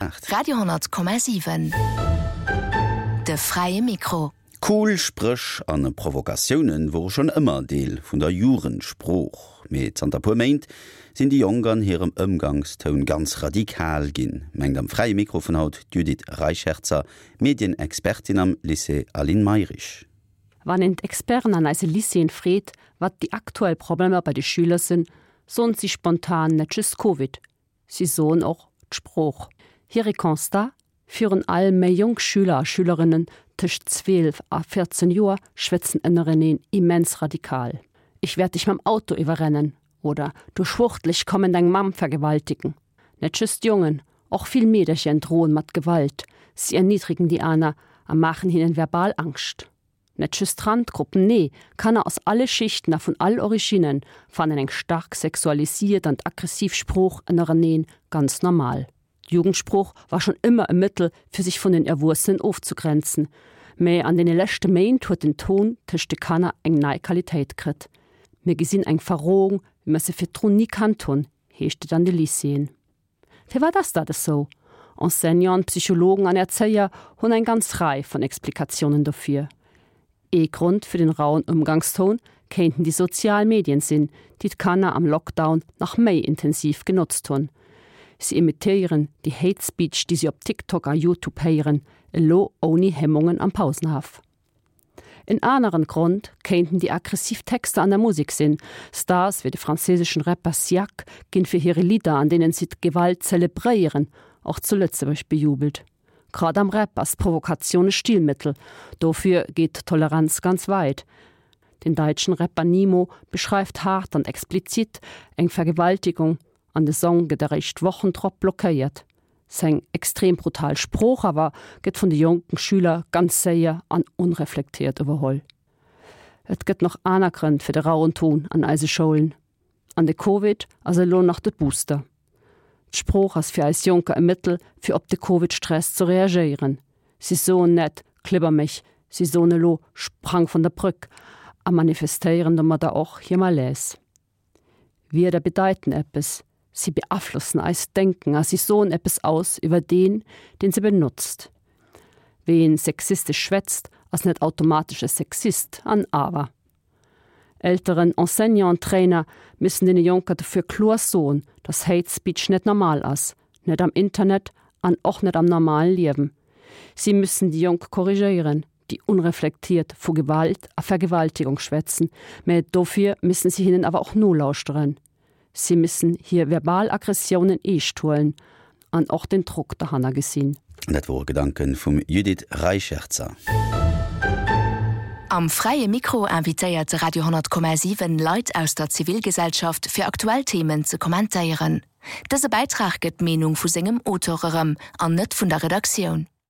8. Radio 10,7 De fräie Mikro. Cool Spréch a Provokatioune wore schonn ëmmer Deel vun der Jugendsprooch, mee zanter puer Méint sinn déi Jonk an hirem Ëmgangstoun ganz radikal ginn, mengt am Fräie Mikro vun haut d'Judith Reicherzer, Medienexpertin am Lycée Aline Mayrisch. Wann een d'Experten an eise Lycéeën freet, wat déi aktuell Problemer bei de Schüler sinn, soen si spontan net just Covid, Si soen och, d'Sprooch. Hire Constat, Virun allem méi jonk Schüler a Schülerinnen tëscht 12 a 14 Joer schwätzen ënnereneen immens radikal. Ich werd dich mam Auto iwwerrennen oder Du Schwuchtel, ich kommen deng Mamm vergewaltigen. Net just Jongen, och vill Meedercher droen mat Gewalt, si erniddregen déi aner a maachen hinnen verbal Angscht. Net just Randgruppen, nee, Kanner aus alle Schichten a vun all Originnen fannen eng staark sexualisiert an aggressiv Sprooch ënnereneen ganz normal. D'Jugendsprooch war schonn ëmmer e Mëttel fir sech vun den Erwuessenen ofzegrenzen, mä an deene leschte Méint huet den Ton tëscht de Kanner eng nei Qualitéit kritt. Mir gesinn eng Verrohung, wéi mer se virdrun ni kannt hunn, heescht et an de Lycéeën. Firwat ass dat esou? Enseignanten, Psychologen an Erzéier hunn eng ganz Rei vun Explikatiounen dofir. Ee Grond fir den rauen Ëmgangstoun kéinten déi sozial Medien sinn, déi d'Kanner am Lockdown nach méi intensiv genotzt hunn. Si imitéieren déi Hate Speech, déi si op TikTok a Youtube héieren, elo ouni Hemmungen am Pausenhaff. En aneren Grond kéinten déi aggressiv Texter an der Musek sinn. Stars wéi de franséischen Rapper Siak ginn fir hire Lidder, an deenen si d'Gewalt zelebréieren, och zu Lëtzebuerg bejubelt. Grad am Rap ass d'Provokatioun e Stilmëttel, dofir geet d'Toleranz ganz weit. Den daitschen Rapper Nimo beschreift haart an explizit eng Vergewaltigung an de Song gëtt eréischt Wochen drop blockéiert. Seng extrem brutal Sprooch awer gëtt vun de jonken Schüler ganz séier an onreflektéiert iwwerholl. Et gëtt nach aner Grënn fir de rauen Ton an eise Schoulen. An de Covid ass elo nach de Booster. D'Sprooch ass fir eis Jonker e Mëttel fir op de Covid-Stress ze reagéieren. Si soen net klibber mech, si soen elo sprang von der Brück a manifestéieren domadder och hir Malaise. Wierder bedeiten eppes, si beaflossen eist Denken a si soen eppes aus iwwer deen, deen se benotzt. Ween sexistesch schwätzt, ass net automatesch e Sexist, an awer. Elteren, Enseignanten, Trainer müssen deene Jonker dofir kloer soen, dass Hate Speech net normal ass, net am Internet an och net am normalen Liewen. Si müssen déi Jonk korrigéieren, déi onreflektiert vu Gewalt a Vergewaltigung schwätzen, mä dofir müssen si hinnen awer och nolauschteren. Si müssen hir verbal Aggressiounen eescht huelen an och den Drock derhanner gesinn. Dat wore Gedanke vum Judith Reicherzer. Am Fräie Mikro invitéiert de Radio 10,7 Leit aus der Zivilgesellschaft fir aktuell Themen ze kommentéieren. Dëse Bäitrag gëtt d'Meenung vu sengem Auteur erëm an net vun der Redaktioun.